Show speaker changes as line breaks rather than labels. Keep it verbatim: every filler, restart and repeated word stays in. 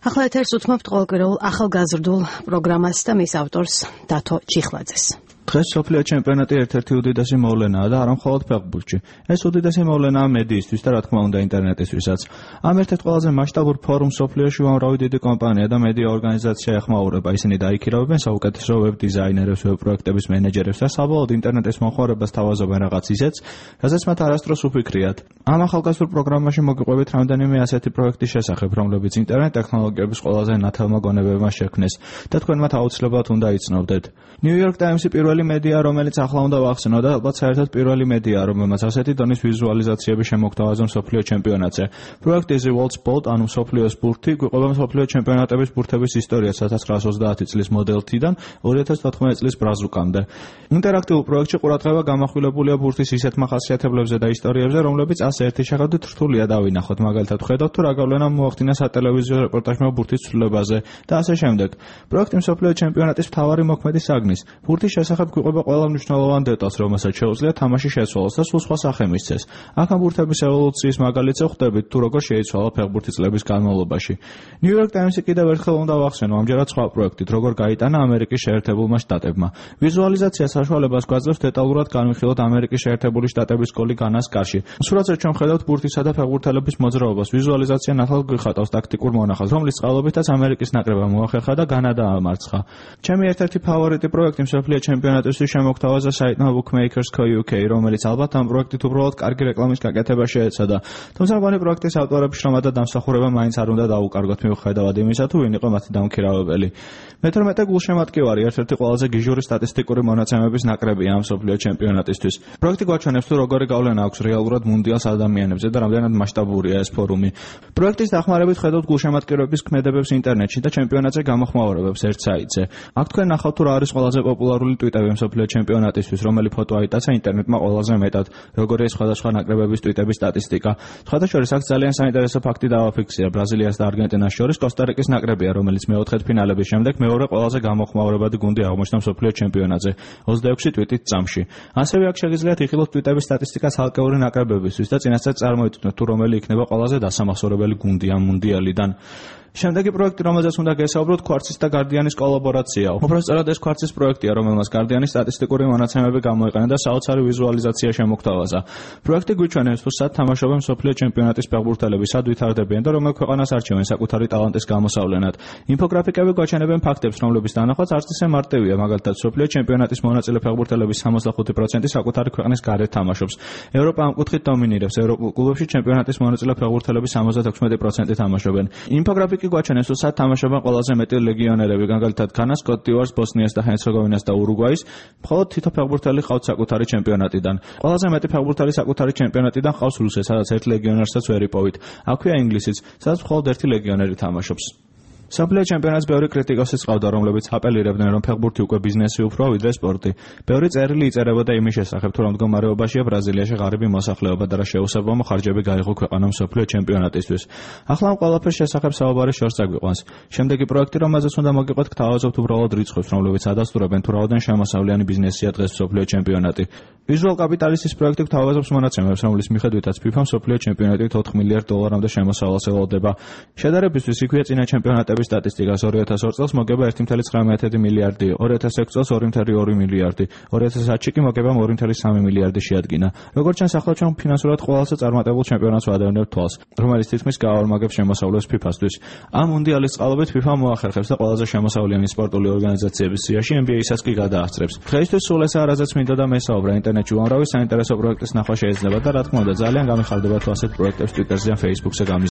ახლა ეთერს უთმობთ ყოველკვირეულ ახალგაზრდულ პროგრამას და მის ავტორს დათო ჩიხლაძეს.
დღეს მსოფლიო ჩემპიონატი ერთ-ერთი უდიდესი მოვლენაა და არა მხოლოდ ფეხბურთში. ეს უდიდესი მოვლენაა მედიისთვის და რა თქმა უნდა ინტერნეტისთვისაც. ამ ერთ-ერთ ყველაზე მასშტაბურ ფორუმს მსოფლიოში უამრავი დიდი კომპანია და მედია ორგანიზაცია ეხმაურება. ისინი დაიქირავებენ საუკეთესო ვებ დიზაინერებს, ვებ პროექტების მენეჯერებს და საბოლოოდ ინტერნეტის მომხმარებას თავაზობენ რაღაც ისეთს, რასაც მათ არასდროს უფიქრიათ. ამ ახალგაზრდულ პროგრამაში მოგიყვებით რამდენიმე ასეთი პროექტის შესახებ, რომლებიც ინტერნეტ ტექნოლოგიების ყველაზე ნათელმა გონებებმა შექმნეს და თქვენ მათ აუცილებლად უნდა იცნობდეთ. New York Times-ი პირველი მედია, რომელიც ახლა უნდა ვახსენო და ალბათ საერთოდ პირველი მედია, რომელმაც ასეთი დონის ვიზუალიზაციები შემოგთავაზა მსოფლიო ჩემპიონატზე. პროექტი The World's Bolt, ანუ მსოფლიოს ბურთი, გვიყვება მსოფლიო ჩემპიონატების ბურთების ისტორიას ორი ათას ოცდაათი წლის მოდელთიდან ორი ათას თოთხმეტი წლის ბრაზუკამდე. ინტერაქტიულ პროექტში ყურადღება გამახვილებულია ბურთის ისეთ მახასიათებლებზე და ისტორიებზე, რომლებიც ასე ერთი შეხედვით რთულია დავინახოთ. მაგალითად, ხედავთ თუ რა გავლენა მოახდინა სატელევიზიო რეპორტაჟმა ბურთის ცვლილებაზე და ასე შემდეგ. პროექტი მსოფლიო ჩემპიონატის მთავარი მოქმედი საგნის. ბურთის შესახებ გვიყვება ყველა მნიშვნელოვან დეტალს, რომელსაც შეუძლია თამაში შეცვალოს და სულ სხვა სახე მისცეს. აქ ამ ბურთების ევოლუციის მაგალითზე ხვდებით თუ როგორ შეიცვალა ფეხბურთი წლების განმავლობაში. New York Times-ი კიდევ ერთხელ უნდა ვახსენო ამჯერად სხვა პროექტით, როგორ გაიტანა ამერიკის შეერთებულმა შტატებმა. ვიზუალიზაცია საშუალებას გვაძლევს დეტალურად განვიხილოთ ამერიკის შეერთებული შტატების სკოლის განას კარში. სურათზე ჩვენ ხედავთ ბურთისა და ფეხბურთელების მოძრაობას. ვიზუალიზაცია ნათელ გვიხატავს ტაქტიკურ მონახაზს, რომლის წყალობითაც ამერიკის ნაკრებმა მოახერხა და განა დაამარცხა. ჩემი ერთ-ერთი ფავორიტი პროექტი მსოფლიო ჩემპიონატისთვის შემოგთავაზა საიტმა Bookmakers Co U K, რომელიც ალბათ ამ პროექტით უბრალოდ კარგი რეკლამის გაკეთება შეეცადა. თუმცა მგონი პროექტის ავტორების შრომა და დამსახურება მაინც არ უნდა დაუკარგოთ მიუხედავად იმისა, თუ ვინ იყო მათი დამქირავებელი. მეთორმეტე გულშემატკივარი ერთ-ერთი ყველაზე გიჟური სტატისტიკური მონაცემების ნაკრებია ამ მსოფლიო ჩემპიონატისთვის. პროექტი გვაჩვენებს თუ როგორი გავლენა აქვს რეალურად მუნდიალს ადამიანებზე და რამდენად მასშტაბურია ეს ფორუმი. პროექტის დახმარებით ხედავთ გულშემატკივრების ქმედებებს ინტერნეტში და ჩემპიონატზე გამოხმაურებებს ერთ საიტზე. აქ თქვენ ნახავთ თუ რა არის ყველაზე პოპულარული ტვიტები მსოფლიო ჩემპიონატისთვის, რომელი ფოტო აიტაცა ინტერნეტმა ყველაზე მეტად, როგორია სხვადასხვა ნაკრებების ტვიტების სტატისტიკა. სხვადასხვა აქ ძალიან საინტერესო ფაქტი დავაფიქსირე. ბრაზილიას და არგენტინას შორის კოსტა-რიკის ნაკრებია, რომელიც მეოთხედფინალების შემდეგ მეორე ყველაზე გამოხმაურებადი გუნდი აღმოჩნდა მსოფლიო ჩემპიონატზე ოცდაექვსი ტვიტით წამში. ასევე აქ შეგიძლიათ იხილოთ ტვიტების სტატისტიკა ცალკეული ნაკრებებისთვის და წინასწარ წარმოიდგინოთ თუ რომელი იქნება ყველაზე დასამახსოვრებელი გუნდი ამ მუნდიალიდან. შემდეგი პროექტი, რომელზეც უნდა გესაუბროთ, Quartz-ის და Guardian-ის კოლაბორაციაა. უпроსწორად ეს Quartz-ის პროექტია, რომელმაც Guardian-ის სტატისტიკური მონაცემები გამოიყენა და საოცარი ვიზუალიზაცია შემოგთავაზა. პროექტი გვიჩვენებს, თუ სად თამაშობენ მსოფლიო ჩემპიონატის ფეხბურთელები, სად ვითარდებიან და რომელ ქვეყანას არჩევენ საკუთარი ტალანტის გამოსავლენად. ინფოგრაფიკები გვაჩვენებენ ფაქტებს, რომლების დანახვაც არც ისე მარტივია. მაგალითად, მსოფლიო ჩემპიონატის მონაწილე ფეხბურთელების სამოცდახუთი პროცენტი საკუთარი ქვეყნის გარეთ თამაშობს. ევროპა ამ კუთხით დომინირებს. ევროპულ კლუბებში ჩემპიონატის მონაწილე ფეხბურთელების სამოცდაექვსი პროცენტი თამაშობენ. ინფოგრაფიკი გვაჩვენებს, თუ სად თამაშობენ ყველაზე მეტი ლეგიონერები, მაგალითად განას, კოტ-დ'ივუარს, ბოსნიას და ჰერცეგოვინას და ურუგვაის. მხოლოდ თითო ფეხბურთელი ყავს საკუთარი ჩემპიონატიდან. ყველაზე მეტი ფეხბურთელი საკუთარი ჩემპიონატიდან ყავს რუსეთს, სადაც ერთ ლეგიონერსაც ვერ იპოვით. აქვეა ინგლისიც, სადაც მხოლოდ ერთი ლეგიონერი თამაშობს. მსოფლიო ჩემპიონატს ბევრი კრიტიკოსიც ყავდა, რომლებიც აპელირებდნენ, რომ ფეხბურთი უკვე ბიზნესი უფრო ვიდრე სპორტი. ბევრი წერილი იწერებოდა იმის შესახებ, თუ რომ მდგომარეობაშია ბრაზილიაში ღარიბი მოსახლეობა და რა შეუსაბამო ხარჯები გაიღო ქვეყანამ მსოფლიო ჩემპიონატისთვის. ახლა ამ ყველაფრის შესახებ საუბარი შორს წაგვიყვანს. შემდეგი პროექტი, რომელზეც უნდა მოგიყვეთ, გთავაზობთ უბრალოდ რიცხვებს, რომლებიც ადასტურებენ თუ რაოდენ შემოსავლიანი ბიზნესია დღეს მსოფლიო ჩემპიონატი. Visual Capitalist-ის პროექტი გთავაზობს მონაცემებს, რომლის მიხედვითაც FIFA მსოფლიო ჩემპიონატით ოთხ მილიარდ დოლარამდე შემოსავალს ელოდება. შედარებისთვის იქვეა წინა ჩემპიონატების სტატისტიკას ორი ათას ორ წელს მოგება ერთი კoma ცხრამეტი მილიარდი, ორი ათას ექვსი წელს ორი კoma ორი მილიარდი, ორი ათას ათში კი მოგება ორი კoma სამი მილიარდი შეადგინა. როგორც ჩანს, ახლა ჩვენ ფინანსურად ყველაზე წარმატებულ ჩემპიონატს ვადევნებთ თვალს, რომელიც თითქმის გაორმაგებს შემოსავლებს FIFA-სთვის. ამ მუნდიალის წყალობით FIFA მოახერხებს და ყველაზე შემოსავლიანი სპორტული ორგანიზაციების სიაში N B A-საც კი გადაასწრებს. დღეისთვის სულ ესაა, რაზეც მინდა და მესაუბრა. ინტერნეტში უამრავი საინტერესო პროექტის ნახვა შეიძლება და რა თქმა უნდა ძალიან გამიხარდება თუ ასეთ პროექტებს Twitter-ზე ან Facebook-ზე